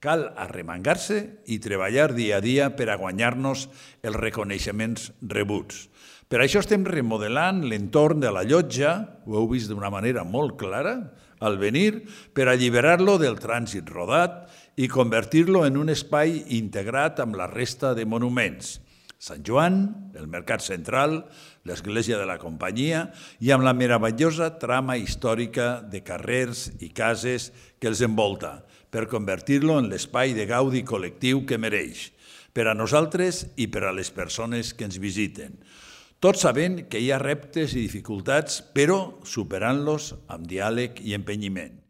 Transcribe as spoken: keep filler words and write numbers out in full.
Cal arremangar-se i treballar dia a dia per a guanyar-nos els reconeixements rebuts. Per això estem remodelant l'entorn de la llotja, ho heu vist d'una manera molt clara al venir, per alliberar-lo del trànsit rodat i convertir-lo en un espai integrat amb la resta de monuments. Sant Joan, el Mercat Central, l'Església de la Companyia i amb la meravellosa trama històrica de carrers i cases que els envolta, per convertir-lo en l'espai de gaudi col·lectiu que mereix, per a nosaltres i per a les persones que ens visiten. Tot sabent que hi ha reptes i dificultats, però superant-los amb diàleg i empenyiment.